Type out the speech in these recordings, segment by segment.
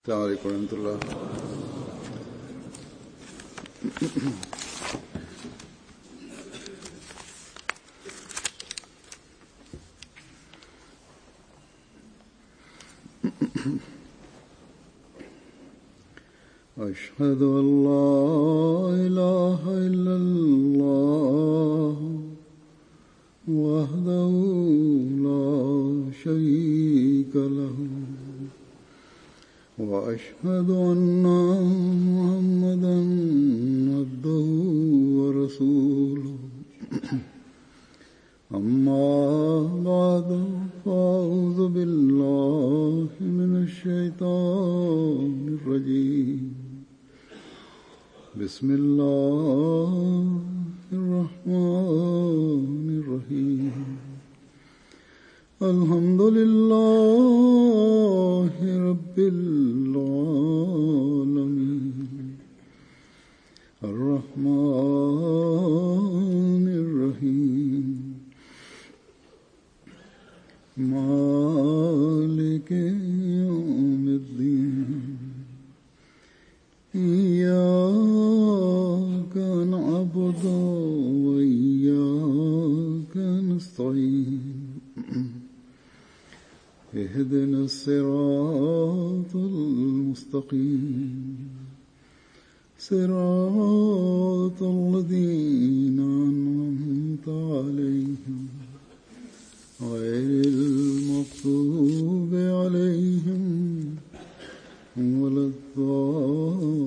السلام عليكم ورحمة الله. أشهد أن لا إله إلا الله وحده لا شريك له وأشهد أن محمدا عبده ورسوله أما بعد فأعوذ بالله من الشيطان الرجيم بسم الله الرحمن الرحيم الحمد لله رب العالمين الرحمن الرحيم مالك يوم الدين إياك نعبد وإياك نستعين اهدنا الصراط المستقيم صراط الذين أنعمت عليهم غير المغضوب عليهم ولا الضالين.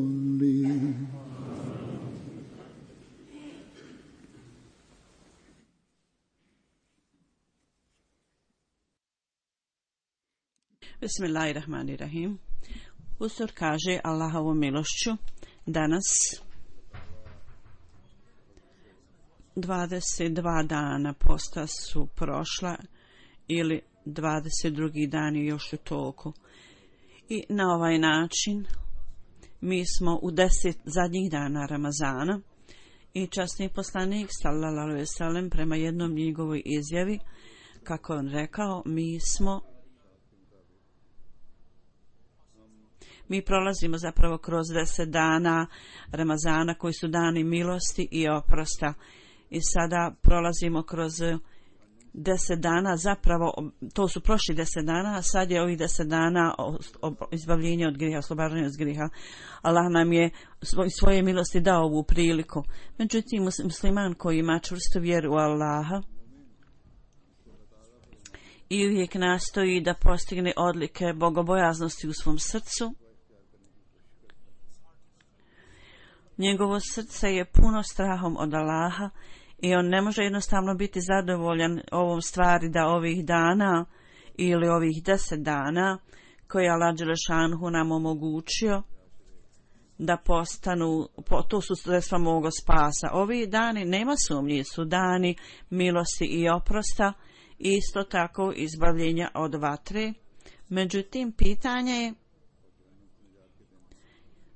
Bismillahirrahmanirrahim. Usur kaže Allahovom milošću danas 22 dana posta su prošla ili 22. dan je još u toku. I na ovaj način mi smo u 10 zadnjih dana Ramazana i časni poslanik sallallahu alejhi ve sellem prema jednom njegovoj izjavi, kako on rekao, mi prolazimo zapravo kroz 10 dana Ramazana koji su dani milosti i oprosta. I sada prolazimo kroz 10 dana, zapravo to su prošli 10 dana, a sad je ovih 10 dana izbavljenja od griha, oslobađanja od griha. Allah nam je svoje milosti dao ovu priliku. Međutim, musliman koji ima čvrstu vjeru u Allaha i uvijek nastoji da postigne odlike bogobojaznosti u svom srcu, njegovo srce je puno strahom od Allaha i on ne može jednostavno biti zadovoljan ovom stvari da ovih dana ili ovih 10 dana koje Allah dželešanhu nam omogućio da postanu, to su sredstva moga spasa. Ovi dani, nema sumnje, su dani milosti i oprosta, isto tako izbavljenja od vatre. Međutim, pitanje je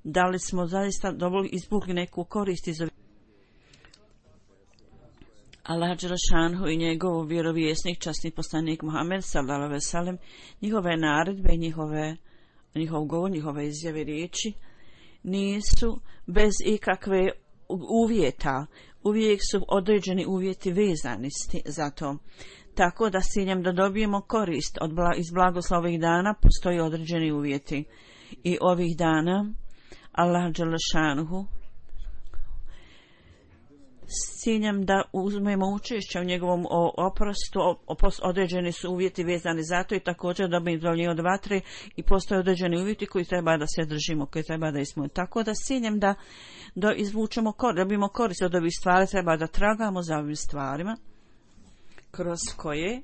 da li smo zaista izvukli neku korist iz ovih. Allah dželešanhu i njegov vjerovjesnik, časni poslanik Muhammed sallallahu alejhi ve sellem, njihove naredbe, njihov govor, njihove izjave, riječi nisu bez ikakve uvjeta. Uvijek su određeni uvjeti vezani za to. Tako da s ciljem da dobijemo korist iz blagoslova ovih dana postoji određeni uvjeti. I ovih dana Allah dželešanhu s ciljem da uzmemo učešće u njegovom oprostu, određeni su uvjeti vezani za to i također da bi izbavljeni od vatre i postoje određeni uvjeti koji treba da se držimo, koji treba da ispunimo. Tako da s ciljem da izvučemo dobijemo korist od ovih stvari, treba da tragamo za ovim stvarima kroz koje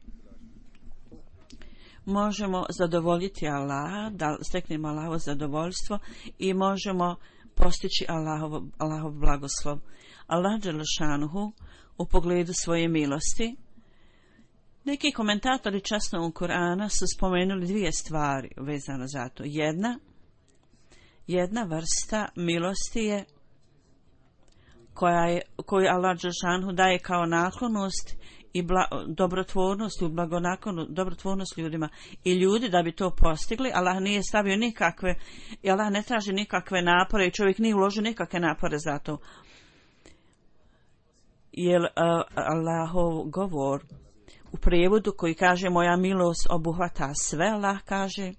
možemo zadovoljiti Allaha, da steknemo Allahovo zadovoljstvo i možemo postići Allahov blagoslov. Allah dželešanuhu u pogledu svoje milosti. Neki komentatori časnog Kur'ana su spomenuli dvije stvari vezano za to. Jedna vrsta milosti je koju Allah dželešanuhu daje kao naklonost i dobrotvornost i blagonakonu, dobrotvornost ljudima. I ljudi da bi to postigli, Allah nije stavio nikakve, i Allah ne traži nikakve napore i čovjek nije uložio nikakve napore za to. Jer Allahov govor u prijevodu koji kaže moja milost obuhvata sve, Allah kaže,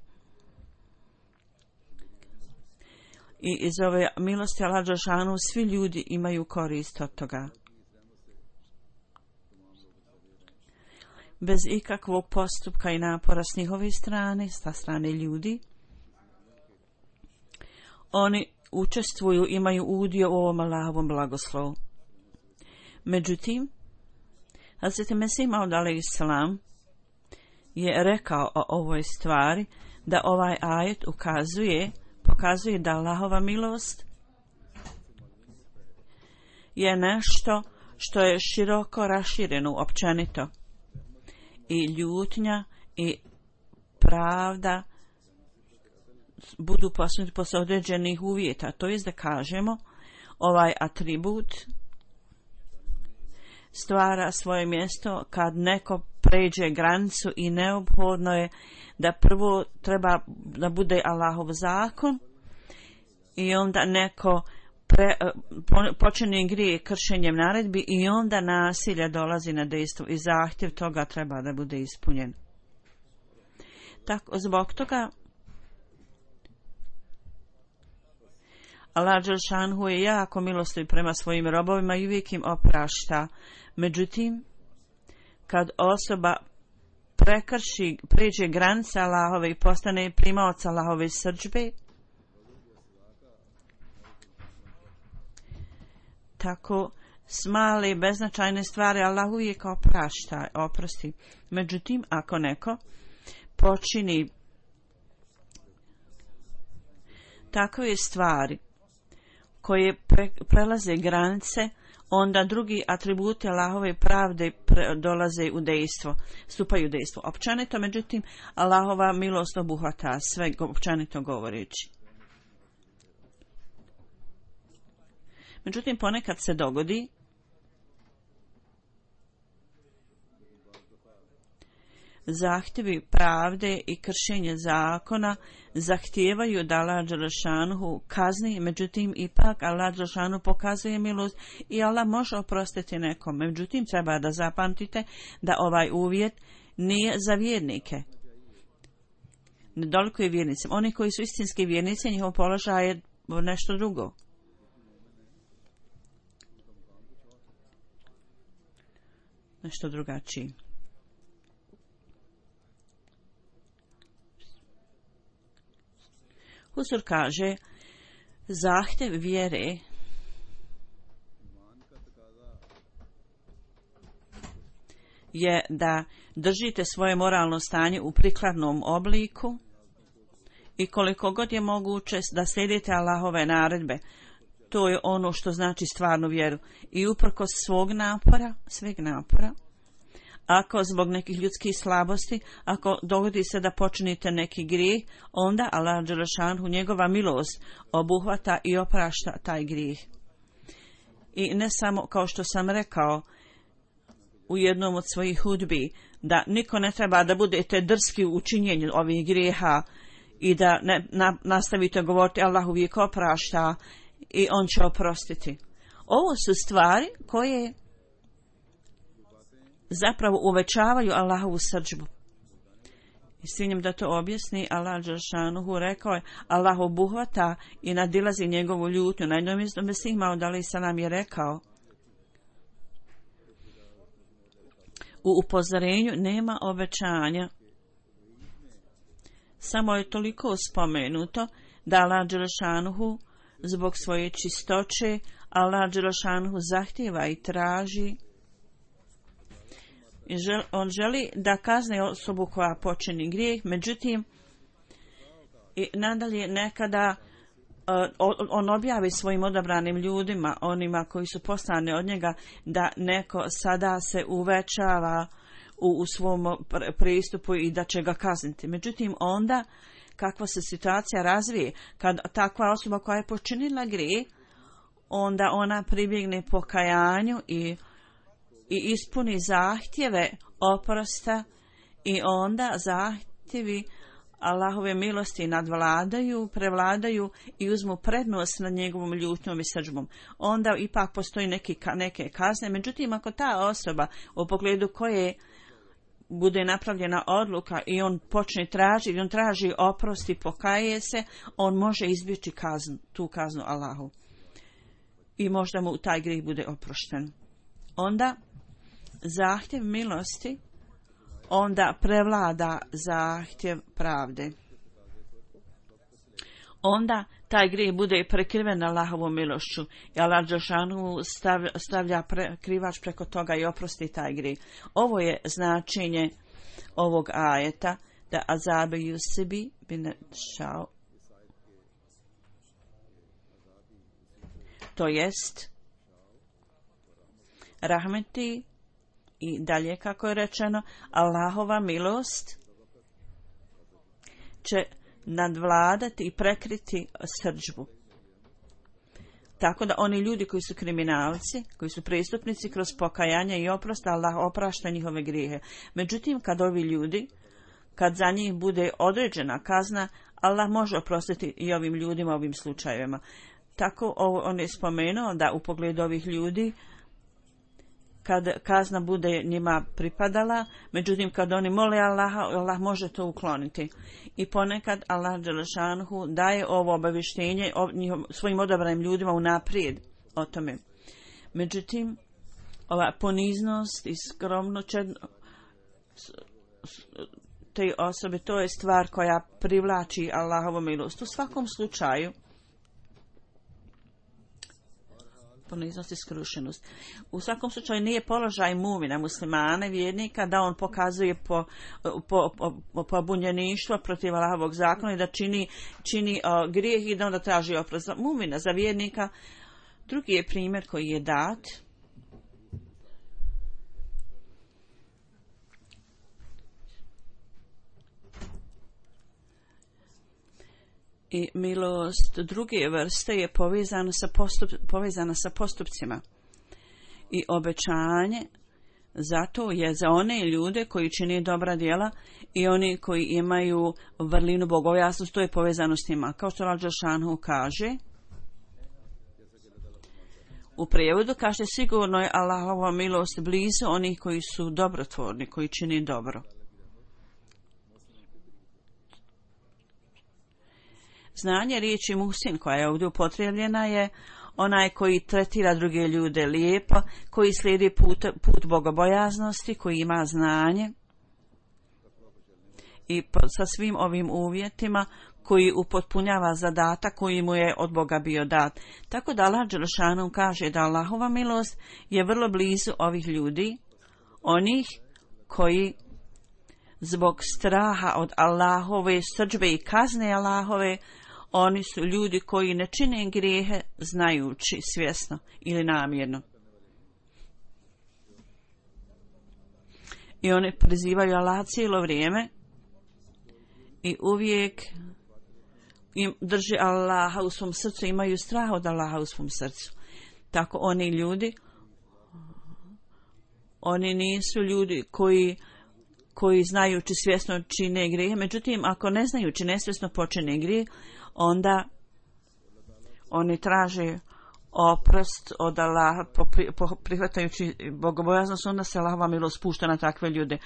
i iz ove milosti Allah dželešanu svi ljudi imaju korist od toga. Bez ikakvog postupka i napora s njihove strane, sa strane ljudi, oni učestvuju, imaju udio u ovom Allahovom blagoslovu. Međutim, Hazreti Mesih Maud alejhisselam je rekao o ovoj stvari da ovaj ajet pokazuje da Allahova milost je nešto što je široko rašireno općenito i ljutnja i pravda budu postignuti posle određenih uvjeta. To jest da kažemo ovaj atribut stvara svoje mjesto kad neko pređe granicu i neophodno je da prvo treba da bude Allahov zakon i onda neko počinje grije kršenjem naredbi i onda nasilje dolazi na dejstvo i zahtjev toga treba da bude ispunjen. Tako, zbog toga Allah dželešanu je jako milostiv prema svojim robovima i uvijek im oprašta. Međutim, kad osoba pređe granice Allahove i postane primaoc Allahove srdžbe, tako s male beznačajne stvari Allah uvijek oprosti. Međutim, ako neko počini takve stvari koje prelaze granice, onda drugi atributi Allahove pravde dolaze u dejstvo, stupaju u dejstvo. Općenito, međutim, Allahova milost obuhvata sve, općenito govoreći. Međutim, ponekad se dogodi zahtjevi pravde i kršenje zakona zahtijevaju da Allah dželešanu kazni, međutim ipak Allah dželešanu pokazuje milost i Allah može oprostiti nekom. Međutim, treba da zapamtite da ovaj uvjet nije za vjernike. Ne dolikuje vjernicima. Oni koji su istinski vjernici, njihov položaj je nešto drugo. Nešto drugačije. Huzur kaže, zahtjev vjere je da držite svoje moralno stanje u prikladnom obliku i koliko god je moguće da slijedite Allahove naredbe. To je ono što znači stvarnu vjeru. I uprkos sveg napora, ako zbog nekih ljudskih slabosti, ako dogodi se da počinite neki grijeh, onda Allah dželešanu njegova milost obuhvata i oprašta taj grijeh. I ne samo, kao što sam rekao u jednom od svojih hudbi, da niko ne treba da budete drski u činjenju ovih grijeha i da nastavite govoriti Allah uvijek oprašta i on će oprostiti. Ovo su stvari koje zapravo uvećavaju Allahovu srdžbu. I s ciljem da to objasni, Allah dželešanu rekao je, Allah obuhvata i nadilazi njegovu ljutnju. Na jednom mjestu Mesih Maud alejhisselam je rekao, u upozorenju nema obećanja. Samo je toliko spomenuto da Allah dželešanu zbog svoje čistoće, Allah dželešanu zahtijeva i traži. On želi da kazne osobu koja počini grijeh, međutim, i nadalje nekada on objavi svojim odabranim ljudima, onima koji su poslani od njega, da neko sada se uvećava u svom pristupu i da će ga kazniti. Međutim, onda kakva se situacija razvije, kad takva osoba koja je počinila grijeh, onda ona pribjegne pokajanju i i ispuni zahtjeve oprosta i onda zahtjevi Allahove milosti prevladaju i uzmu prednost nad njegovom ljutnjom i srdžbom. Onda ipak postoji neke kazne. Međutim, ako ta osoba u pogledu koje bude napravljena odluka i on počne tražiti, on traži oprost i pokaje se, on može izbjeći tu kaznu Allahu. I možda mu taj grijeh bude oprošten. Onda zahtjev milosti onda prevlada zahtjev pravde. Onda taj grijeh bude prekriven Allahovom milošću i Allah dželešanu stavlja krivač preko toga i oprosti taj grijeh. Ovo je značenje ovog ajeta, da azabe yusibi bin šao. To jest rahmeti i dalje, kako je rečeno, Allahova milost će nadvladati i prekriti srdžbu. Tako da oni ljudi koji su kriminalci, koji su prestupnici, kroz pokajanje i oprost, Allah oprašta njihove grijehe. Međutim, kad za njih bude određena kazna, Allah može oprostiti i ovim ljudima, ovim slučajevima. Tako on je spomenuo da u pogledu ovih ljudi, kad kazna bude njima pripadala, međutim kad oni mole Allaha, Allah može to ukloniti. I ponekad Allah dželešanhu daje ovo obavještenje svojim odabranim ljudima unaprijed o tome. Međutim, ova poniznost i skromnost te osobe, to je stvar koja privlači Allahovu milost. U svakom slučaju, poniznost i skrušenost. U svakom slučaju nije položaj mumina, muslimana, vjernika, da on pokazuje pobunjeništvo protiv Allahovog zakona i da čini grijeh i da onda traži oprost. Mumina, za vjernika, drugi je primjer koji je dat. I milost druge vrste je povezana sa postupcima. I obećanje zato je za one ljude koji čine dobra djela i oni koji imaju vrlinu bogobojaznosti, to je povezano s njima. Kao što Allah dželešanu kaže, u prijevodu kaže, sigurno je Allahova milost blizu onih koji su dobrotvorni, koji čine dobro. Znanje riječi muhsin koja je ovdje upotrijebljena je onaj koji tretira druge ljude lijepo, koji slijedi put bogobojaznosti, koji ima znanje i sa svim ovim uvjetima koji upotpunjava zadatak koji mu je od Boga bio dat. Tako da Allah dželešanu kaže da Allahova milost je vrlo blizu ovih ljudi, onih koji zbog straha od Allahove srdžbe i kazne Allahove, oni su ljudi koji ne čine grijehe znajući, svjesno ili namjerno. I oni prizivaju Allah cijelo vrijeme i uvijek im drži Allaha u svom srcu, imaju strah od Allaha u svom srcu. Tako oni ljudi, oni nisu ljudi koji znajući svjesno čine grijehe, međutim ako ne znajući nesvjesno počine grijeh, onda oni traže oprost od Allaha prihvatajući bogobojaznost, onda se Allahova milost spušta na takve ljude.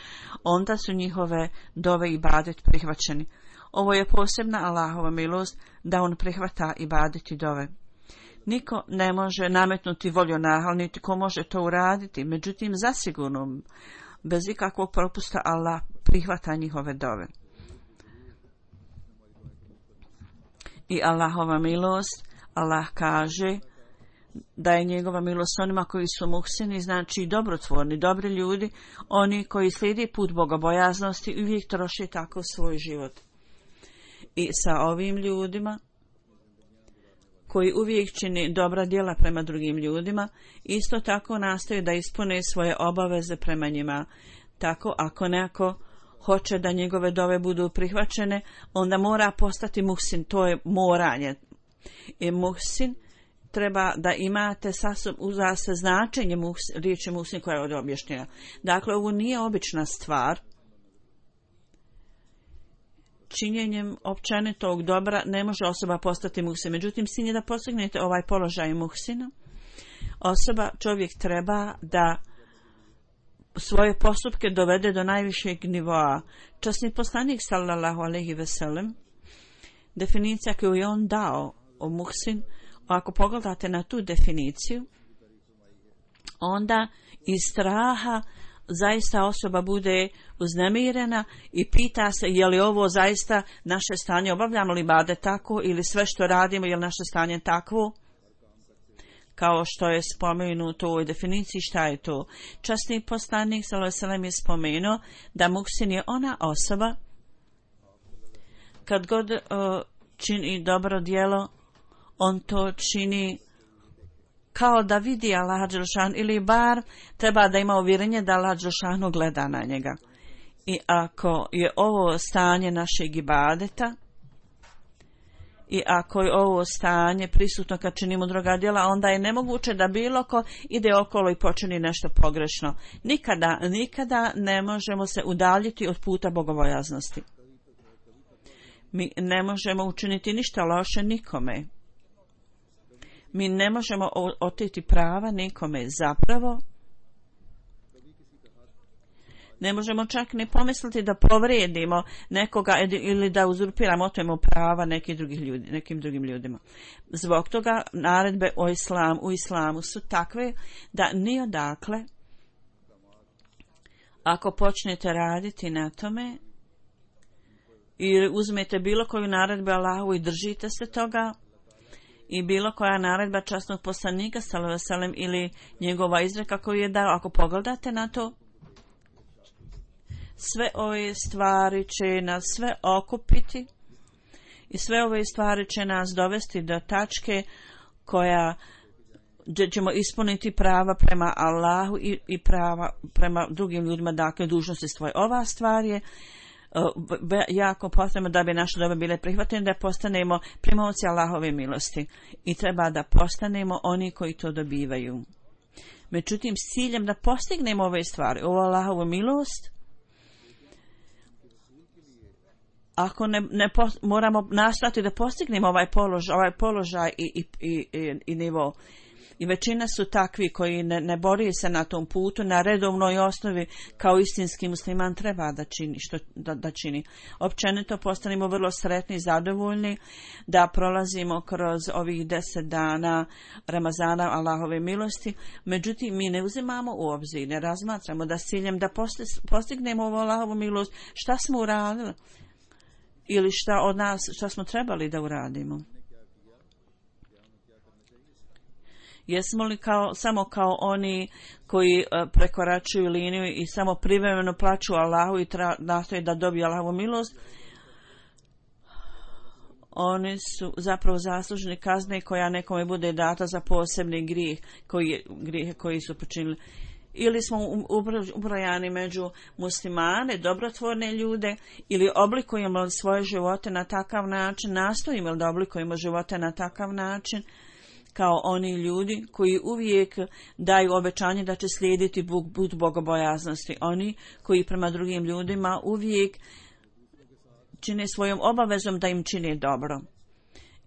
Onda su njihove dove i ibadet prihvaćeni. Ovo je posebna Allahova milost da on prihvata ibadet i dove. Niko ne može nametnuti volju Allaha, niti ko može to uraditi, međutim zasigurno bez ikakvog propusta Allah prihvata njihove dove. I Allahova milost, Allah kaže da je njegova milost onima koji su muhsini, znači dobrotvorni, dobri ljudi, oni koji slijedi put bogobojaznosti i uvijek troše tako svoj život. I sa ovim ljudima koji uvijek čini dobra djela prema drugim ljudima, isto tako nastoje da ispune svoje obaveze prema njima. Tako ako neko hoće da njegove dove budu prihvaćene, onda mora postati muhsin, to je moranje. I muhsin treba da imate uza se značenje riječi muhsin koja je ovdje objašnjena. Dakle, ovo nije obična stvar. Činjenjem općenitog dobra ne može osoba postati muhsin. Međutim, sin je da postignete ovaj položaj muhsina. Čovjek treba da svoje postupke dovede do najvišeg nivoa. Časni poslanik sallallahu alejhi ve sellem, definicija koju je on dao o muhsin, ako pogledate na tu definiciju, onda iz straha zaista osoba bude uznemirena i pita se je li ovo zaista naše stanje, obavljamo li ibadet tako ili sve što radimo je li naše stanje takvo, kao što je spomenuto u ovoj definiciji. Šta je to? Časni poslanik sallallahu alejhi ve sellem je spomenuo da muhsin je ona osoba kad god čini dobro djelo, on to čini kao da vidi Allaha dželešanu, ili bar treba da ima uvjerenje da Allah dželešanu gleda na njega. I ako je ovo stanje našeg ibadeta i ako je ovo stanje prisutno kad činimo druga djela, onda je nemoguće da bilo ko ide okolo i počini nešto pogrešno. Nikada ne možemo se udaljiti od puta bogobojaznosti. Mi ne možemo učiniti ništa loše nikome. Mi ne možemo oteti prava nikome. Zapravo, ne možemo čak ni pomisliti da povrijedimo nekoga ili da uzurpiramo, otmemo prava nekim drugim ljudima. Zbog toga naredbe u islamu su takve da ni odakle, ako počnete raditi na tome ili uzmete bilo koju naredbu Allahu i držite se toga, i bilo koja naredba časnog poslanika sallallahu alejhi ve sellem ili njegova izreka koju je dao, ako pogledate na to, sve ove stvari će nas sve okupiti i sve ove stvari će nas dovesti do tačke koja ćemo ispuniti prava prema Allahu i prava prema drugim ljudima, dakle dužnosti svoje. Ova stvar je jako potrebno da bi naše dobe bile prihvatene, da postanemo primaoci Allahove milosti i treba da postanemo oni koji to dobivaju. Međutim, s ciljem da postignemo ove stvari, ovu Allahovu milost, ako moramo nastati da postignemo ovaj položaj i nivo. I većina su takvi koji ne bori se na tom putu, na redovnoj osnovi kao istinski musliman treba da čini. Općenito postanemo vrlo sretni i zadovoljni da prolazimo kroz ovih 10 dana Ramazana Allahove milosti. Međutim, mi ne uzimamo u obzir, ne razmatramo da s ciljem da postignemo ovu Allahovu milost, šta smo uradili ili šta smo trebali da uradimo. Jesmo li samo kao oni koji prekoračuju liniju i samo privremeno plaću Allahu i nastoje da dobiju Allahovu milost? Oni su zapravo zaslužni kazne koja nekome bude data za posebni grijeh koji su počinili. Ili smo ubrojani među muslimane, dobrotvorne ljude, ili oblikujemo svoje živote na takav način, nastojimo da oblikujemo živote na takav način, kao oni ljudi koji uvijek daju obećanje da će slijediti put bogobojaznosti. Oni koji prema drugim ljudima uvijek čine svojom obavezom da im čine dobro.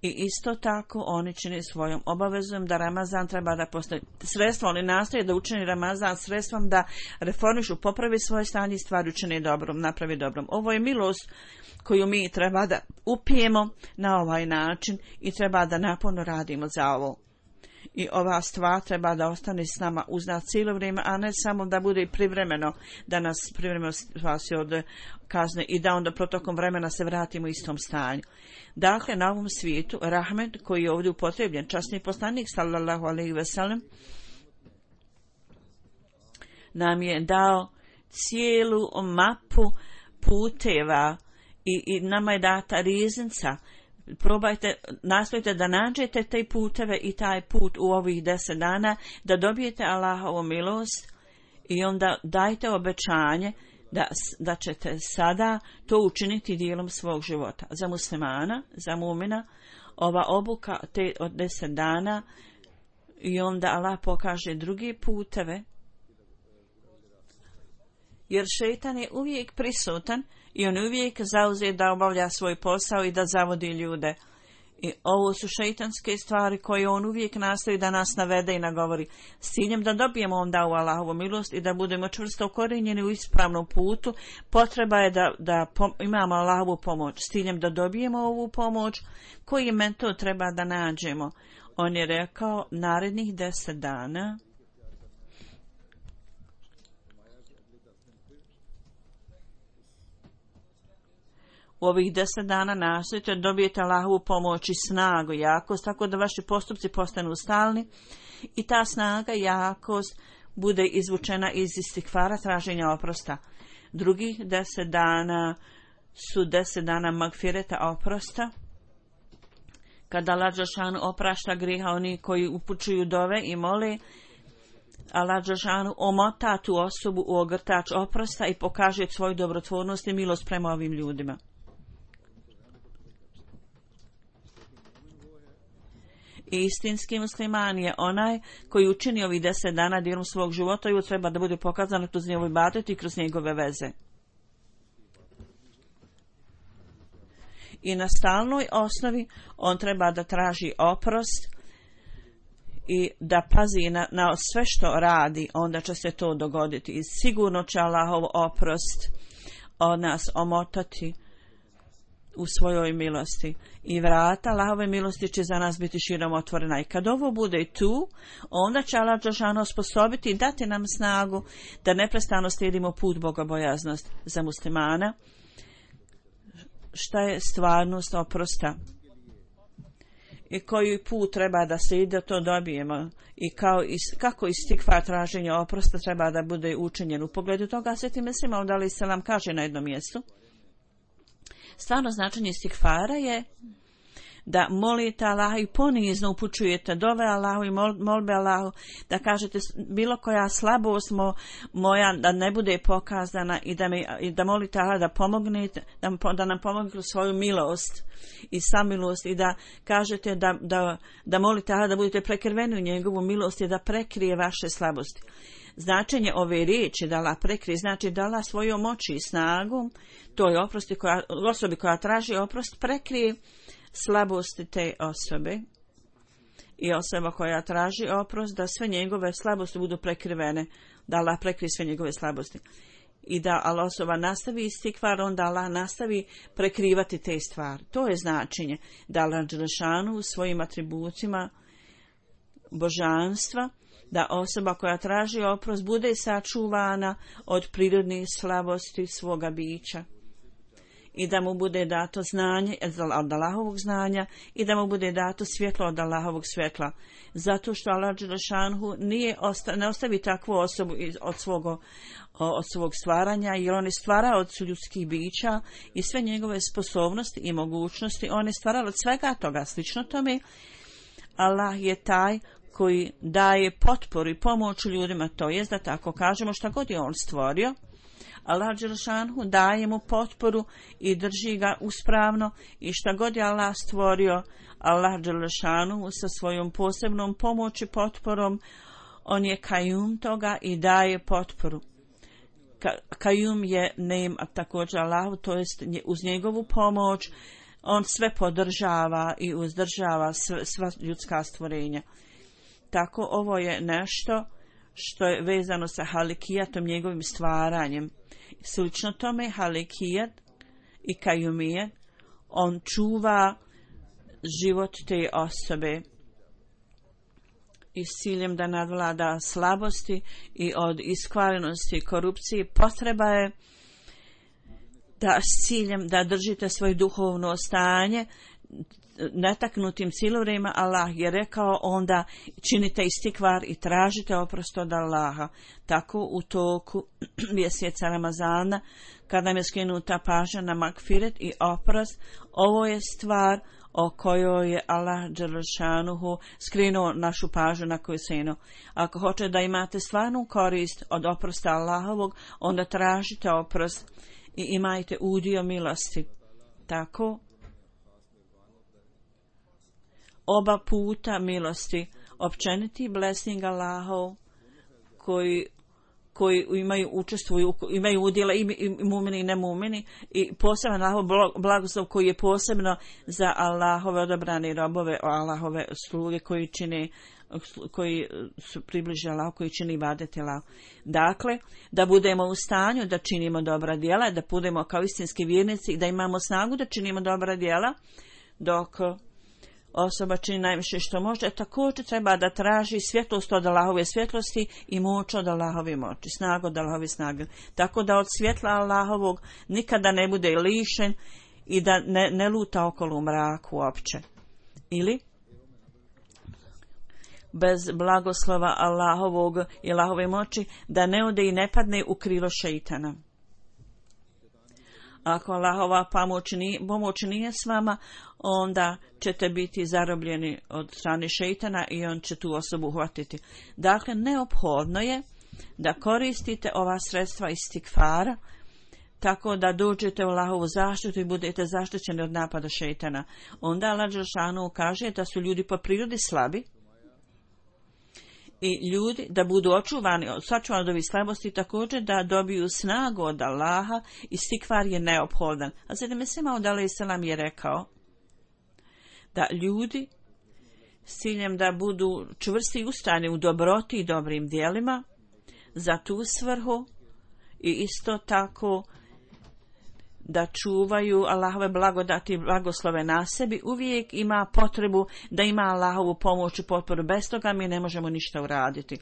I isto tako oni čine svojom obavezom da Ramazan treba da postoji sredstvo. Oni nastoje da učini Ramazan sredstvom da reformišu, popravi svoje stanje i stvari učine dobrom, napravi dobrom. Ovo je milost koju mi treba da upijemo na ovaj način i treba da naporno radimo za ovo. I ova stvar treba da ostane s nama uz nas cijelo vrijeme, a ne samo da bude privremeno, da nas privremeno spasi od kazne i da onda protokom vremena se vratimo u istom stanju. Dakle, na ovom svijetu, rahmet koji je ovdje upotrebljen, časni poslanik sallallahu alejhi ve sellem nam je dao cijelu mapu puteva i nama je data riznica. Nastojite da nađete te puteve i taj put u ovih 10 dana, da dobijete Allahovu milost i onda dajte obećanje da ćete sada to učiniti dijelom svog života. Za muslimana, za mumina, ova obuka od 10 dana I onda Allah pokaže druge puteve, jer šejtan je uvijek prisutan i on uvijek zauzet da obavlja svoj posao i da zavodi ljude. I ovo su šejtanske stvari koje on uvijek nastoji da nas navede i nagovori s ciljem da dobijemo onda u Allahovu milost i da budemo čvrsto ukorijenjeni u ispravnom putu. Potreba je da imamo Allahovu pomoć s ciljem da dobijemo ovu pomoć. Koji metod treba da nađemo? On je rekao narednih 10 dana u ovih 10 dana nastojite dobijete Allahovu pomoć i snagu, jakost, tako da vaši postupci postanu stalni i ta snaga, jakost bude izvučena iz istikfara, traženja oprosta. Drugih 10 dana su 10 dana magfireta, oprosta, kada Allah dželešanu oprašta grijeha oni koji upućuju dove i mole. Allah dželešanu omota tu osobu u ogrtač oprosta i pokaže svoju dobrotvornost i milost prema ovim ljudima. I istinski musliman je onaj koji učini ovih 10 dana dijelom svog života i treba da bude pokazano kroz njegov ibadet i kroz njegove veze. I na stalnoj osnovi on treba da traži oprost i da pazi na sve što radi, onda će se to dogoditi. I sigurno će Allahov oprost od nas omotati u svojoj milosti. I vrata Allahove milosti će za nas biti širom otvorena. I kad ovo bude tu, onda će Allah dželešanu osposobiti i dati nam snagu da neprestano slijedimo put bogobojaznost za muslimana. Šta je stvarnost oprosta? I koji put treba da se ide, to dobijemo. I kako istikfar traženja oprosta treba da bude učinjen. U pogledu toga Sveti Mesih Maud alejhi selam kaže na jednom mjestu: stvarno značenje istikfara je da molite Allaha i ponizno upućujete dove Allahu i molbe Allahu, da kažete bilo koja slabost moja da ne bude pokazana i da molite Allaha da pomognete, da nam pomogne kroz svoju milost i samilost i da kažete da molite Allaha da budete prekriveni u njegovu milost i da prekrije vaše slabosti. Značenje ove riječi da Allah prekrije znači da Allah svojom moći i snagom toj osobi koja traži oprost prekrije slabosti te osobe i osoba koja traži oprost da sve njegove slabosti budu prekrivene, da Allah prekrije sve njegove slabosti i da osoba nastavi istikvar, onda Allah nastavi prekrivati te stvari. To je značenje da Allah dželešanu u svojim atributima božanstva, da osoba koja traži oprost bude sačuvana od prirodnih slabosti svoga bića i da mu bude dato znanje od Allahovog znanja i da mu bude dato svjetlo od Allahovog svjetla. Zato što Allah dželešanu ne ostavi takvu osobu od svog stvaranja, jer on je stvarao od ljudskih bića i sve njegove sposobnosti i mogućnosti, on je stvarao od svega toga. Slično tome, Allah je taj koji daje potporu i pomoć ljudima, to jest da tako kažemo šta god je on stvorio, Allah dželešanu daje mu potporu i drži ga uspravno i šta god je Allah stvorio, Allah dželešanu sa svojom posebnom pomoći, potporom, on je kajum toga i daje potporu. Kajum je name također Allahu, to jest uz njegovu pomoć on sve podržava i uzdržava sva ljudska stvorenja. Tako ovo je nešto što je vezano sa halikijatom, njegovim stvaranjem. Slično tome halikijat i kajumijat, on čuva život te osobe i s ciljem da nadvlada slabosti i od iskvarenosti i korupcije. Potreba je da s ciljem da držite svoje duhovno stanje netaknutim cijelo vrijeme. Allah je rekao onda činite istikvar i tražite oprost od Allaha. Tako u toku mjeseca Ramazana, kada nam je skinuta pažnja na magfiret i oprost, ovo je stvar o kojoj je Allah dželešanuhu skrenuo našu pažnju na koju senu. Ako hoćete da imate stvarnu korist od oprosta Allahovog, onda tražite oprost i imajte udio milosti. Tako oba puta milosti općeniti blessing Allahov koji učestvuju, imaju udjela i mumini i nemumini, i poseban Allahov blagoslov koji je posebno za Allahove odabrane robove, Allahove sluge koji su približi Allah, koji čini ibadet Allah. Dakle, da budemo u stanju da činimo dobra djela, da budemo kao istinski vjernici i da imamo snagu da činimo dobra djela, dok osoba čini najviše što može, također treba da traži svjetlost od Allahove svjetlosti i moć od Allahove moći, snagu od Allahove snage. Tako da od svjetla Allahovog nikada ne bude lišen i da ne luta okolo u mraku uopće. Ili bez blagoslova Allahovog i Allahove moći da ne ode i ne padne u krilo šeitana. Ako Allahova pomoć nije s vama, onda ćete biti zarobljeni od strane šeitana i on će tu osobu uhvatiti. Dakle, neophodno je da koristite ova sredstva istikfara tako da dođete u Allahovu zaštitu i budete zaštićeni od napada šeitana. Onda Allah dželešanu kaže da su ljudi po prirodi slabi i ljudi da budu sačuvani od ovih slabosti, također da dobiju snagu od Allaha, i istikfar je neophodan. A Hazreti Mesih Maud alejselam je rekao da ljudi s ciljem da budu čvrsti i ustrajni u dobroti i dobrim djelima za tu svrhu i isto tako da čuvaju Allahove blagodati i blagoslove na sebi, uvijek ima potrebu da ima Allahovu pomoć i potporu. Bez toga mi ne možemo ništa uraditi.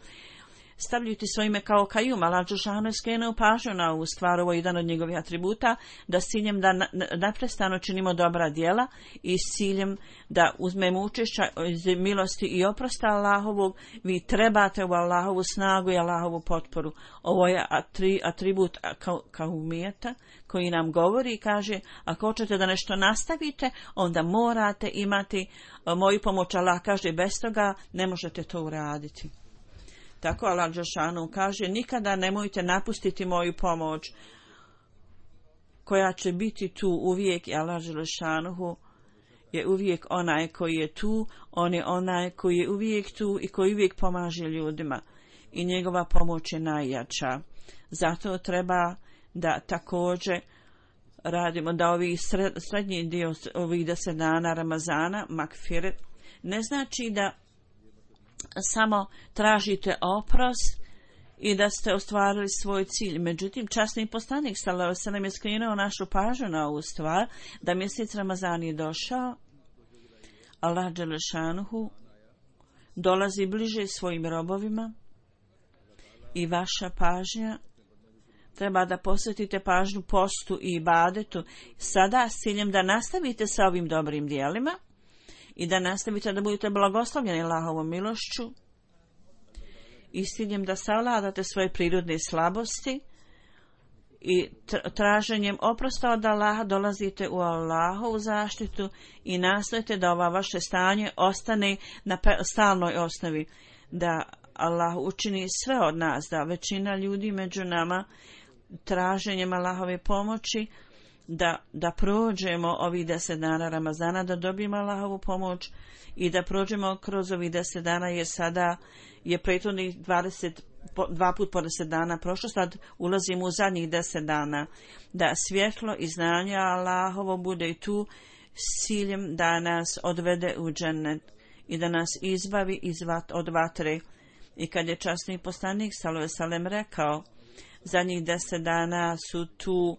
Stavljujući svoje ime kao Kajum, Allah dželešanu je skrenuo pažnju na ovu stvar, ovo je jedan od njegovih atributa, da s ciljem da neprestano činimo dobra djela i s ciljem da uzmemo učešća iz milosti i oprosta Allahovog, vi trebate u Allahovu snagu i Allahovu potporu. Ovo je atribut kaumijeta koji nam govori i kaže, ako hoćete da nešto nastavite, onda morate imati moju pomoć. Allah kaže, bez toga ne možete to uraditi. Tako Allah dželešanu kaže, nikada nemojte napustiti moju pomoć koja će biti tu uvijek, i Allah dželešanu je uvijek onaj koji je tu, on je onaj koji je uvijek tu i koji uvijek pomaže ljudima i njegova pomoć je najjača. Zato treba da također radimo da ovi srednji dio ovih 10 dana Ramazana, Makfiret, ne znači da samo tražite oprost i da ste ostvarili svoj cilj. Međutim, časni poslanik sallallahu alejhi ve sellem je skrenuo našu pažnju na ovu stvar, da mjesec Ramazan je došao, Allah dželešanuhu dolazi bliže svojim robovima i vaša pažnja treba da posvetite pažnju postu i ibadetu sada s ciljem da nastavite sa ovim dobrim djelima i da nastavite da budete blagoslovljeni Allahovom milošću i s ciljem da savladate svoje prirodne slabosti i traženjem oprosta od Allaha dolazite u Allahovu zaštitu i nastojite da ova vaše stanje ostane na stalnoj osnovi, da Allah učini sve od nas, da većina ljudi među nama traženjem Allahove pomoći da prođemo ovih 10 dana Ramazana, da dobijemo Allahovu pomoć i da prođemo kroz ovih 10 dana, jer sada je prethodnih 2 put po 10 dana prošlo, sad ulazimo u zadnjih 10 dana, da svjetlo i znanje Allahovo bude tu s ciljem da nas odvede u džennet i da nas izbavi od vatre. I kad je časni poslanik sallallahu alejhi ve sellem rekao, zadnjih 10 dana su tu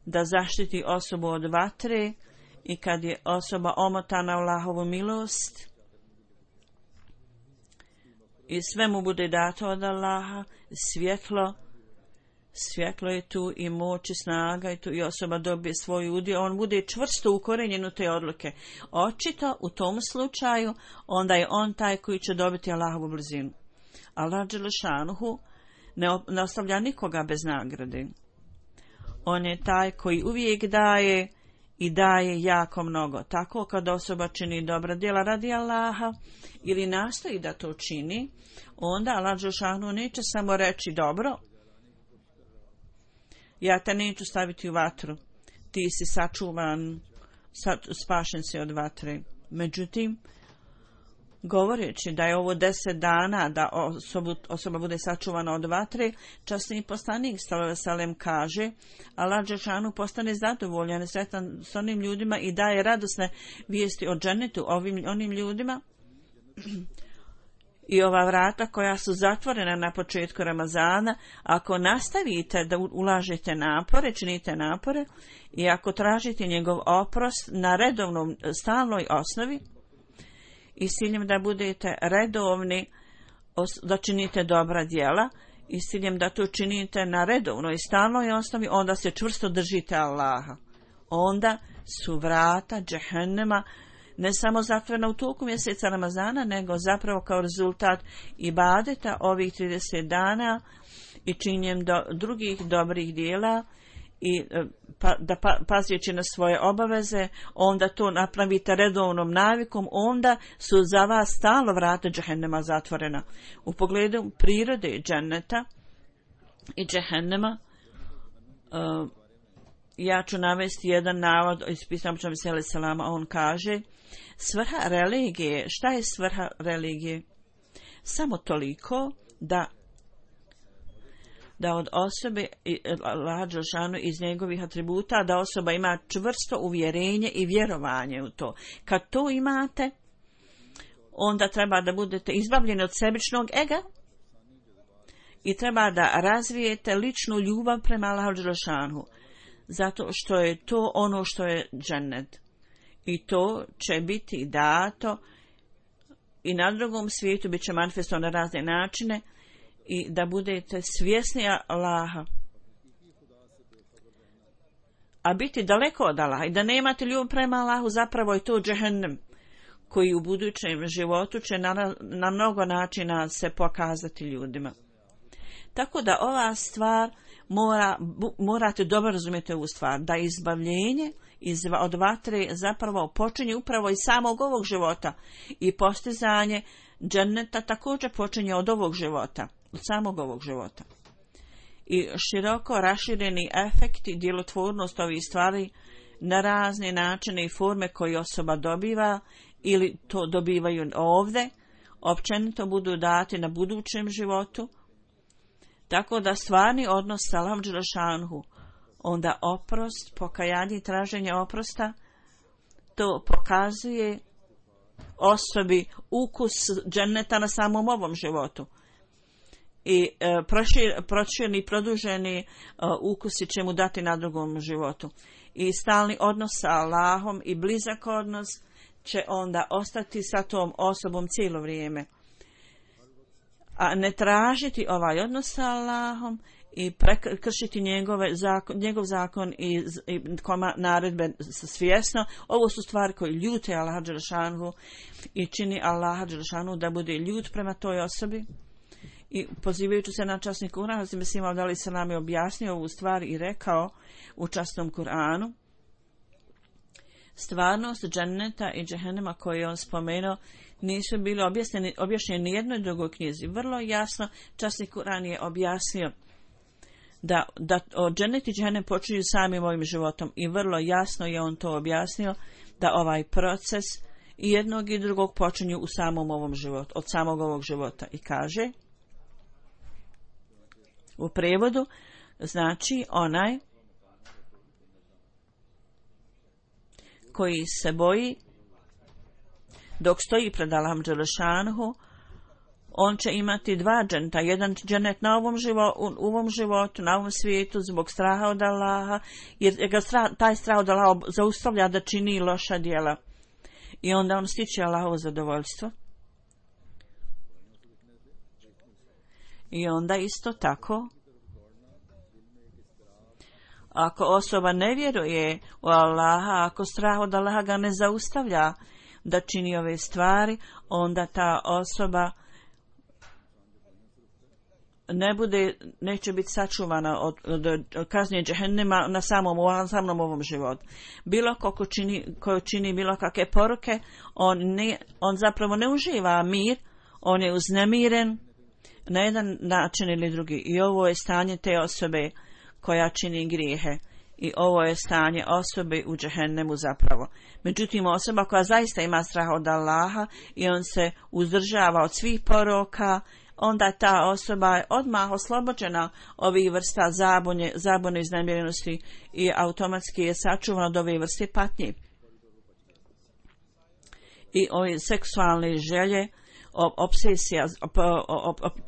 da zaštiti osobu od vatre, i kad je osoba omotana u Allahovu milost i sve mu bude dato od Allaha, svjetlo je tu i moć i snaga je tu i osoba dobije svoj udio, on bude čvrsto ukorenjen u te odluke. Očito u tom slučaju onda je on taj koji će dobiti Allahovu blizinu. Allah dželešanuhu ne ostavlja nikoga bez nagrade. On je taj koji uvijek daje i daje jako mnogo. Tako kad osoba čini dobra djela radi Allaha ili nastoji da to čini, onda Allah dželešanu neće samo reći dobro, ja te neću staviti u vatru, ti si sačuvan, spašen si od vatre. Međutim, Govoreći da je ovo 10 dana da osoba bude sačuvana od vatre, časni poslanik s.a.v. kaže: Allah dželešanu postane zadovoljan i sretan s onim ljudima i daje radosne vijesti o džennetu onim ljudima. I ova vrata koja su zatvorena na početku Ramazana, ako nastavite da ulažete napore, činite napore i ako tražite njegov oprost na redovnom, stalnoj osnovi i s ciljem da budete redovni, da činite dobra djela i s ciljem da to činite na redovnoj i stalnoj osnovi, onda se čvrsto držite Allaha. Onda su vrata džehennema ne samo zatvorena u toku mjeseca Ramazana, nego zapravo kao rezultat ibadeta ovih 30 dana i činjenjem drugih dobrih dijela i pazeći na svoje obaveze, onda to napravite redovnom navikom, onda su za vas stalno vrata džehennema zatvorena. U pogledu prirode dženneta i džehennema, ja ću navesti jedan navod iz pisama Selama. On kaže: svrha religije, šta je svrha religije? Samo toliko da od osobe Allah dželešanu iz njegovih atributa, da osoba ima čvrsto uvjerenje i vjerovanje u to. Kad to imate, onda treba da budete izbavljeni od sebičnog ega i treba da razvijete ličnu ljubav prema Allahu dželešanu, zato što je to ono što je džennet. I to će biti dato i na drugom svijetu, bit će manifestovano na razne načine, i da budete svjesni Allaha. A biti daleko od Allaha i da nemate ljubav prema Allahu, zapravo je to džehennem koji u budućem životu će na mnogo načina se pokazati ljudima. Tako da ova stvar morate dobro razumjeti ovu stvar, da izbavljenje od vatre zapravo počinje upravo iz samog ovog života i postizanje dženneta također počinje od ovog života, od samog ovog života. I široko rašireni efekti, djelotvornost ovih stvari na razne načine i forme koje osoba dobiva ili to dobivaju ovdje, općenito budu dati na budućem životu, tako da stvarni odnos sa Allahom dželešanu, onda oprost, pokajanje i traženje oprosta, to pokazuje osobi ukus dženneta na samom ovom životu. I prošireni, produženi ukusi će mu dati na drugom životu. I stalni odnos sa Allahom i blizak odnos će onda ostati sa tom osobom cijelo vrijeme. A ne tražiti ovaj odnos sa Allahom i prekršiti njegov zakon i naredbe svjesno, ovo su stvari koje ljute Allaha dželešanu i čini Allaha dželešanu da bude ljut prema toj osobi. I pozivajući se na časni Kur'an, Hazrat Mesih Maud alejhi selam je objasnio ovu stvar i rekao u časnom Kur'anu: stvarnost dženneta i džehennema koje je on spomenuo nisu bili objašnjeni ni jednoj drugoj knjizi. Vrlo jasno časni Kur'an je objasnio da džennet i džehennem počinju samim ovim životom i vrlo jasno je on to objasnio da ovaj proces i jednog i drugog počinju u samom ovom životu, od samog ovog života. I kaže u prevodu, znači onaj koji se boji dok stoji pred Allahom dželešanuhu, on će imati dva dženneta, jedan džennet na ovom životu, na ovom svijetu zbog straha od Allaha, jer ga taj strah od Allaha zaustavlja da čini loša djela i onda on stiče Allahovo zadovoljstvo. I onda isto tako, ako osoba ne vjeruje u Allaha, ako strah od Allaha ga ne zaustavlja da čini ove stvari, onda ta osoba neće biti sačuvana od kazne džehennema na samom ovom životu. Bilo ko čini bilo kakve poruke, on zapravo ne uživa mir, on je uznemiren na jedan način ili drugi. I ovo je stanje te osobe koja čini grijehe. I ovo je stanje osobe u džehennemu zapravo. Međutim, osoba koja zaista ima strah od Allaha i on se uzdržava od svih poroka, onda ta osoba je odmah oslobođena ovih vrsta zabune, iznemirenosti i automatski je sačuvana od ove vrste patnje. I ove seksualne želje, obsesija,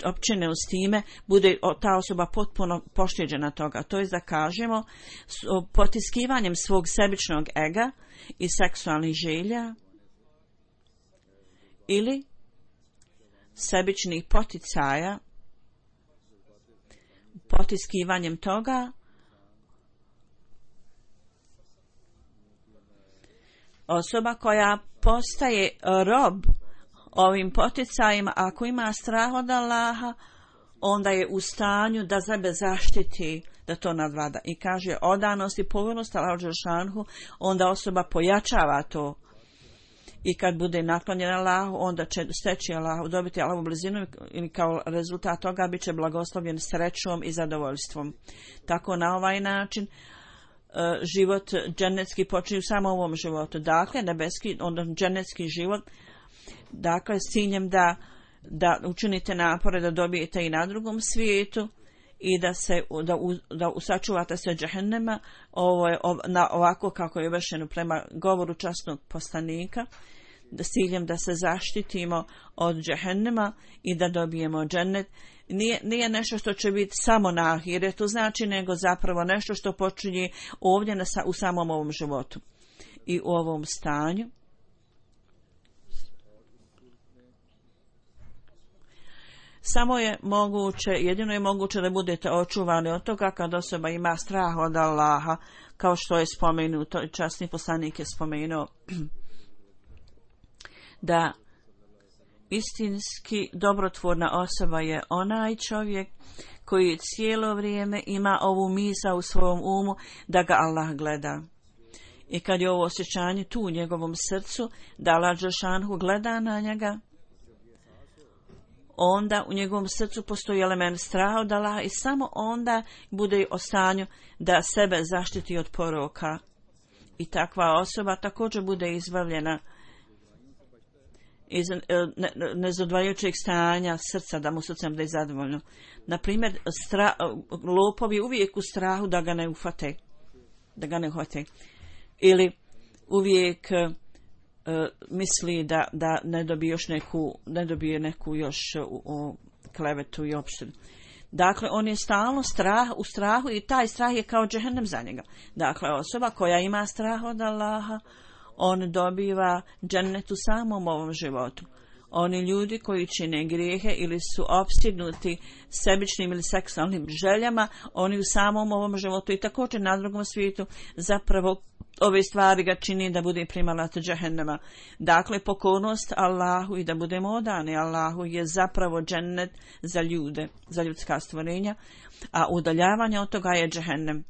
općene s time, bude ta osoba potpuno pošteđena toga. To je da kažemo, potiskivanjem svog sebičnog ega i seksualnih želja ili sebičnih poticaja, potiskivanjem toga osoba koja postaje rob ovim poticajima, ako ima strah od Allaha, onda je u stanju da sebe zaštiti, da to nadvlada. I kaže odanost i pokornost Allahu dželešanu, onda osoba pojačava to. I kad bude naklonjena Allahu, onda će steći Allahu, dobiti Allahovu blizinu i kao rezultat toga bit će blagoslovljen srećom i zadovoljstvom. Tako na ovaj način život dženecki počinje samo u ovom životu. Dakle, nebeski, onda dženecki život, dakle, s ciljem da učinite napore da dobijete i na drugom svijetu i da sačuvate se džehennema, ovo je ovako kako je vršeno prema govoru časnog poslanika, da s ciljem da se zaštitimo od džehennema i da dobijemo džennet. Nije nešto što će biti samo na ahiretu, znači, nego zapravo nešto što počinje ovdje u samom ovom životu i u ovom stanju. Jedino je moguće da budete očuvani od toga kad osoba ima strah od Allaha, kao što je spomenuto, časni poslanik je spomenuo da istinski dobrotvorna osoba je onaj čovjek koji cijelo vrijeme ima ovu misao u svom umu da ga Allah gleda. I kad je ovo osjećanje tu u njegovom srcu, da Allah dželešanu gleda na njega, onda u njegovom srcu postoji element straha od Allaha i samo onda bude u stanju da sebe zaštiti od poroka. I takva osoba također bude izbavljena iz nezadvajajućeg stanja srca, da mu srcem bude zadovoljno. Naprimjer, lopovi uvijek u strahu da ga ne uhvate. Ili uvijek misli da ne dobije neku još klevetu i opštinu. Dakle, on je stalno u strahu i taj strah je kao džehennem za njega. Dakle, osoba koja ima strah od Allaha, on dobiva džennet u samom ovom životu. Oni ljudi koji čine grijehe ili su opsjednuti sebičnim ili seksualnim željama, oni u samom ovom životu i također na drugom svijetu zapravo ove stvari ga čini da bude primalac džehennema. Dakle, pokornost Allahu i da budemo odani Allahu je zapravo džennet za ljude, za ljudska stvorenja, a udaljavanje od toga je džehennem.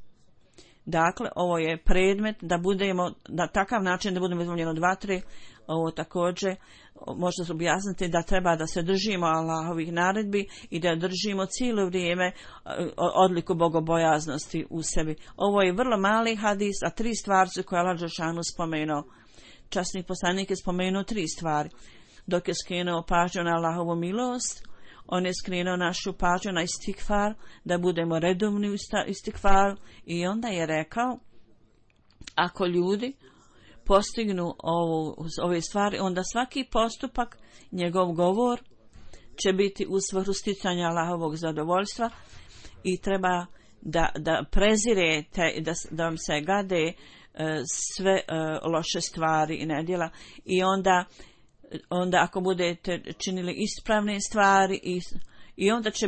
Dakle, ovo je predmet da budemo na takav način da budemo izvoljeni od vatre. Ovo također možda se objasniti da treba da se držimo Allahovih naredbi i da držimo cijelo vrijeme odliku bogobojaznosti u sebi. Ovo je vrlo mali hadis, a 3 stvari su koje Allah dželešanu spomenuo. Časni poslanik je spomenuo 3 stvari. Dok je skrenuo pažnju na Allahovu milost, on je skrenuo našu pažnju na istikfar, da budemo redovni u istikfaru, i onda je rekao, ako ljudi postignu ove stvari, onda svaki postupak, njegov govor će biti u svrhu sticanja Allahovog zadovoljstva i treba da prezirete, da vam se gade sve loše stvari i nedjela, i onda ako budete činili ispravne stvari i onda će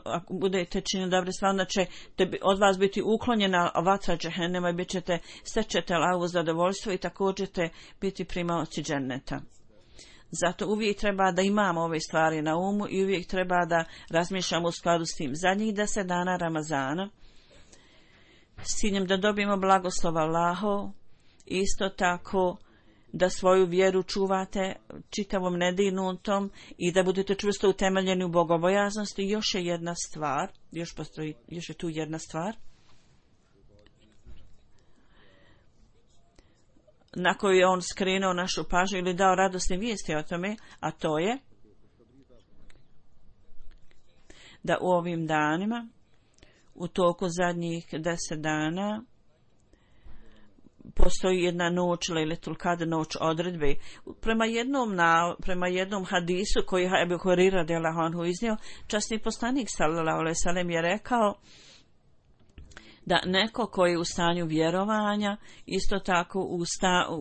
ako budete činili dobre stvari, onda će od vas biti uklonjena vatra džehennema i stečete Allahovo zadovoljstvo i također ćete biti primaoci dženneta. Zato uvijek treba da imamo ove stvari na umu i uvijek treba da razmišljamo u skladu s tim. Zadnjih 10 dana Ramazana, s ciljem da dobijemo blagoslov Allahov, isto tako da svoju vjeru čuvate čitavom nedirnutom i da budete čvrsto utemeljeni u bogobojaznosti. Još je tu jedna stvar. na koju je on skrenuo našu pažnju ili dao radosne vijesti o tome, a to je da u ovim danima, u toku zadnjih 10 dana, postoji jedna noć, Lejletul Kadr, noć odredbe. Prema jednom hadisu koji je Ebu Hurajra radijallahu anhu iznio, časni poslanik sallallahu alejhi ve sellem je rekao da neko koji je u stanju vjerovanja, isto tako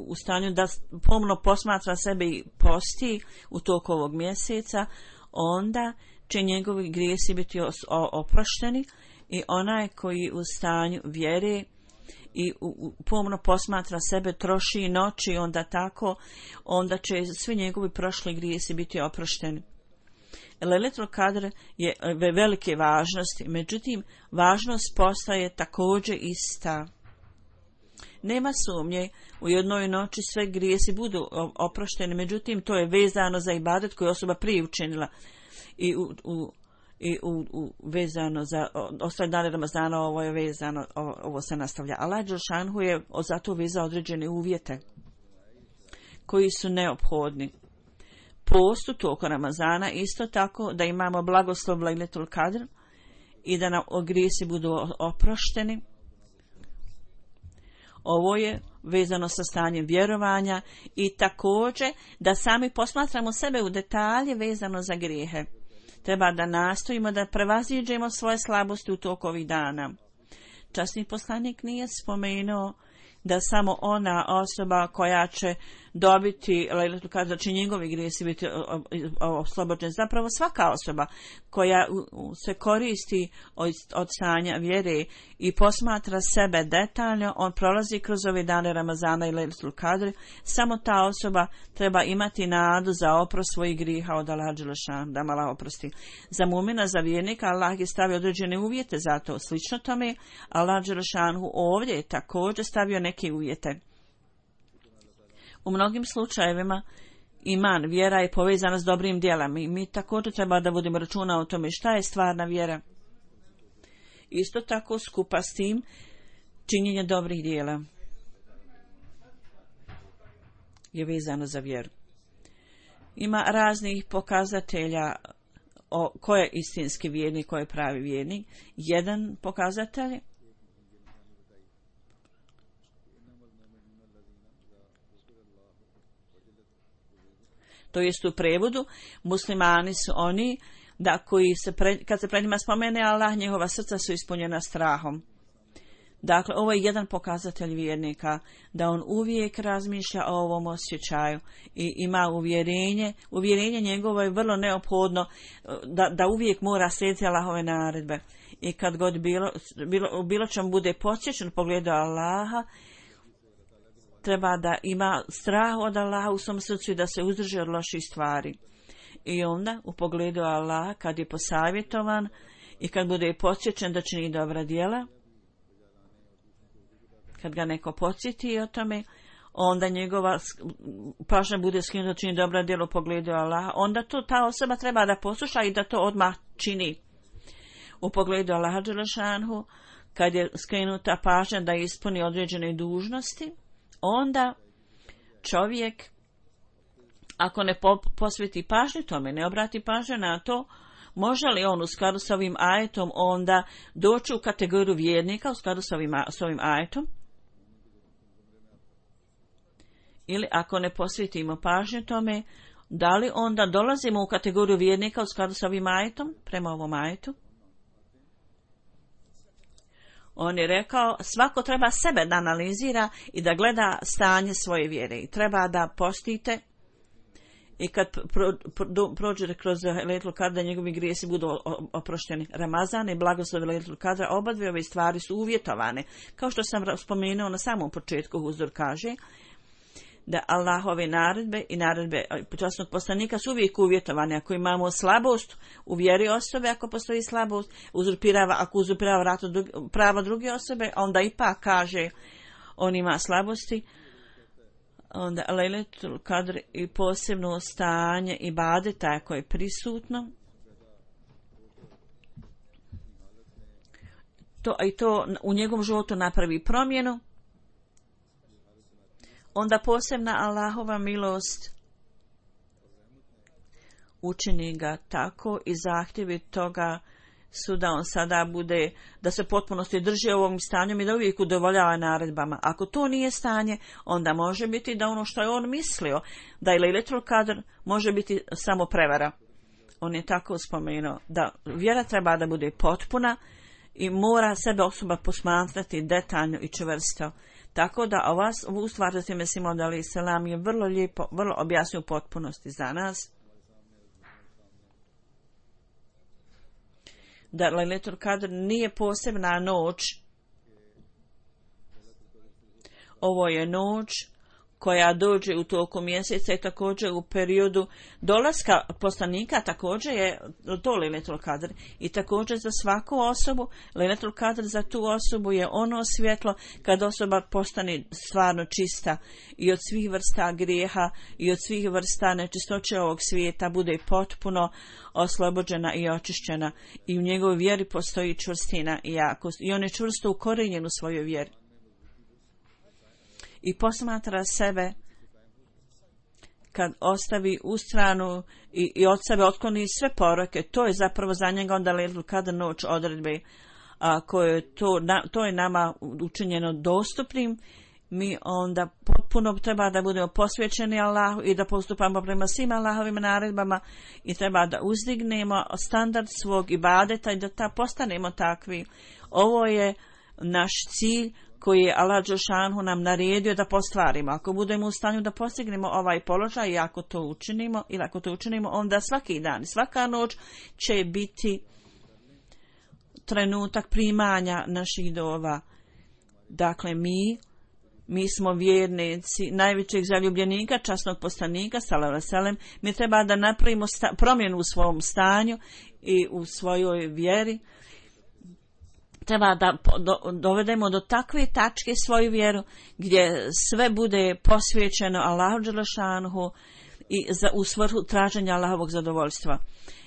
u stanju da pomno posmatra sebe i posti u toku ovog mjeseca, onda će njegovi grijesi biti oprošteni, i onaj koji u stanju vjere i pomno posmatra sebe, troši noći, onda će svi njegovi prošli grijesi biti oprošteni. Lejletul Kadr je velike važnosti, međutim važnost postaje također ista. Nema sumnje, u jednoj noći sve grijesi budu oprošteni, međutim to je vezano za ibadet koju osoba prije učinila i vezano za ostale dane Ramazana. Ovo je vezano, ovo se nastavlja. Allah dželešanu je zato vezao određene uvjete koji su neophodni. Postu toku Ramazana, isto tako da imamo blagoslov Lejletul Kadr i da nam grijesi budu oprošteni. Ovo je vezano sa stanjem vjerovanja i također da sami posmatramo sebe u detalje vezano za grijehe. Treba da nastojimo da prevaziđemo svoje slabosti u toku ovih dana. Časni poslanik nije spomenuo da samo ona osoba koja će dobiti Lejletul Kadr, da će njegovi grijesi biti oslobođeni. Zapravo svaka osoba koja se koristi od stanja vjere i posmatra sebe detaljno, on prolazi kroz ove dane Ramazana i Lejletul Kadr, samo ta osoba treba imati nadu za oprost svojih grijeha od Allaha dželešanu, da Allah oprosti. Za mumina, za vjernika, Allah je stavio određene uvjete za to. Slično tome, Allah dželešanu ovdje je također stavio neke uvjete. U mnogim slučajevima iman, vjera je povezana s dobrim djelama i mi također treba da vodimo računa o tome šta je stvarna vjera. Isto tako skupa s tim činjenje dobrih djela je vezano za vjeru. Ima raznih pokazatelja ko je istinski vjernik, ko je pravi vjernik. Jedan pokazatelj to jest u prevodu, muslimani su oni da koji kad se pred njima spomene Allah, njihova srca su ispunjena strahom. Dakle, ovo je jedan pokazatelj vjernika, da on uvijek razmišlja o ovom osjećaju i ima uvjerenje. Uvjerenje njegovo je vrlo neophodno da uvijek mora slijediti Allahove naredbe. I kad god bilo čemu bude posjećen u pogledu Allaha, treba da ima strah od Allaha u svom srcu i da se uzdrži od loših stvari. I onda u pogledu Allaha, kad je posavjetovan i kad bude podsjećen da čini dobra djela, kad ga neko podsjeti o tome, onda njegova pažnja bude skinuta da čini dobra djela u pogledu Allaha, onda ta osoba treba da posluša i da to odmah čini. U pogledu Allaha dželešanu, kad je skrenuta pažnja da ispuni određene dužnosti, onda čovjek, ako ne posveti pažnju tome, ne obrati pažnju na to, može li on u skladu s ovim ajetom onda doći u kategoriju vjernika u skladu s ovim ajetom? Ili ako ne posvetimo pažnju tome, da li onda dolazimo u kategoriju vjernika u skladu s ovim ajetom, prema ovom ajetu? On je rekao, svako treba sebe da analizira i da gleda stanje svoje vjere. I treba da postite i kad prođe kroz Lejletul Kadr, njegovi grijesi budu oprošteni. Ramazan i blagoslov Lejletul Kadra, oba dvije ove stvari su uvjetovane. Kao što sam spomenuo na samom početku, Huzur kaže da Allahove naredbe i naredbe časnog poslanika su uvijek uvjetovane. Ako imamo slabost u vjeri osobe, ako postoji slabost, ako uzurpirava prava druge osobe, onda ipak kaže on ima slabosti, onda Lejletul Kadr i posebno stanje ibadeta koje je prisutno. To u njegovom životu napravi promjenu. onda posebna Allahova milost učini ga tako i zahtjevi toga su da on sada bude, da se potpunosti drži ovom stanjem i da uvijek udovoljava naredbama. Ako to nije stanje, onda može biti da ono što je on mislio, da je Lejletul Kadr, može biti samo prevara. On je tako spomenuo da vjera treba da bude potpuna i mora sebe osoba posmatrati detaljno i čvrsto. Tako da ovu stvar za time Simon alejhi selam je vrlo lijepo, vrlo objasnio u potpunosti za nas. Da Lejletul Kadr nije posebna noć. Ovo je noć koja dođe u toku mjeseca i također u periodu dolaska poslanika, također je to Lejletul Kadr. I također za svaku osobu, Lejletul Kadr za tu osobu je ono svjetlo kad osoba postane stvarno čista i od svih vrsta grijeha i od svih vrsta nečistoće ovog svijeta bude potpuno oslobođena i očišćena i u njegovoj vjeri postoji čvrstina i jakost i on je čvrsto ukorijenjen u svojoj vjeri. I posmatra sebe kad ostavi u stranu i od sebe otkloni sve poroke, to je zapravo za njega onda Lejletul Kadr noć odredbe, koje to je nama učinjeno dostupnim. Mi onda potpuno treba da budemo posvećeni Allahu i da postupamo prema svim Allahovim naredbama i treba da uzdignemo standard svog ibadeta i da postanemo takvi. Ovo je naš cilj koji je Allah dželešanu nam naredio da postvarimo. Ako budemo u stanju da postignemo ovaj položaj i ako to učinimo, onda svaki dan, svaka noć će biti trenutak primanja naših dova. Dakle, mi smo vjernici najvećeg zaljubljenika, časnog poslanika, sallallahu alejhi ve sellem. Mi treba da napravimo promjenu u svom stanju i u svojoj vjeri. Treba da dovedemo do takve tačke svoju vjeru gdje sve bude posvećeno Allahu dželešanuhu i u svrhu traženja Allahovog zadovoljstva.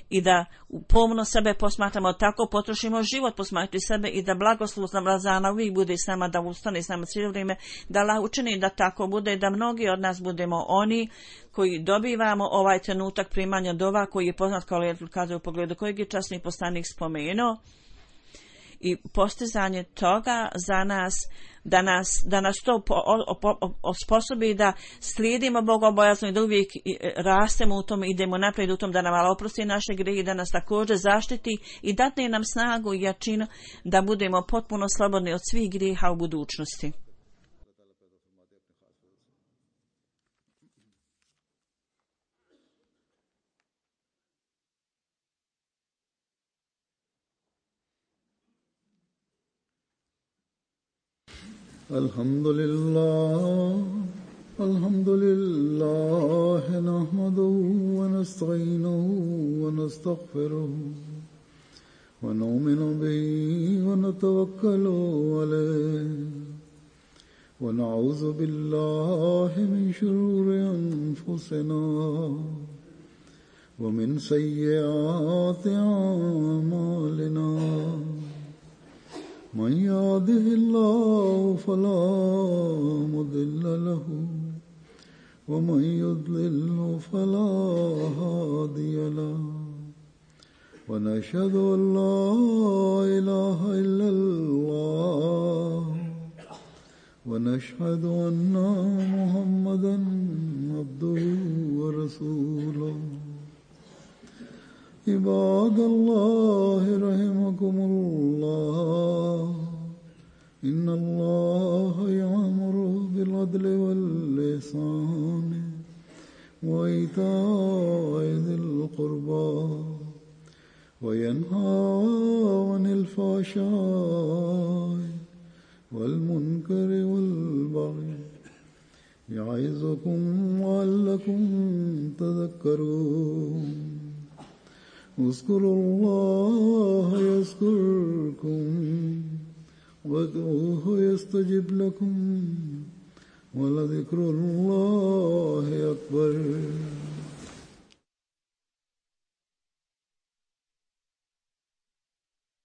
I da pomno sebe posmatramo, tako potrošimo život posmatrati sebe i da blagoslov Ramazana uvijek bude s nama, da ustane s nama cijelo vrijeme, da Allah učini da tako bude, da mnogi od nas budemo oni koji dobivamo ovaj trenutak primanja dova koji je poznat kao Lejletul Kadr u pogledu kojeg je časni poslanik spomenuo. I postizanje toga za nas, da nas to osposobi da slijedimo bogobojazno i da uvijek rastemo u tom, idemo naprijed u tom, da nam Allah oprosti naše grijehe, da nas također zaštiti i dadne nam snagu i jačinu da budemo potpuno slobodni od svih grijeha u budućnosti. Alhamdulillah nahmaduhu wa nasta'inuhu wa nastaghfiruhu wa nu'minu bihi wa natawakkalu alayhi wa na'udhu billahi min shururi anfusina wa min sayyiati a'malina. من يهده الله فلا مضل له ومن يضلل فلا هادي له ونشهد أن لا إله إلا الله ونشهد أن محمدا عبده ورسوله. عباد الله رحمكم الله إن الله يأمر بالعدل والإحسان وإيتاء ذي القربى وينهى عن الفحشاء والمنكر والبغي يعظكم لعلكم تذكرون. اذكروا الله يذكركم وادعوه يستجب لكم ولذكر الله أكبر.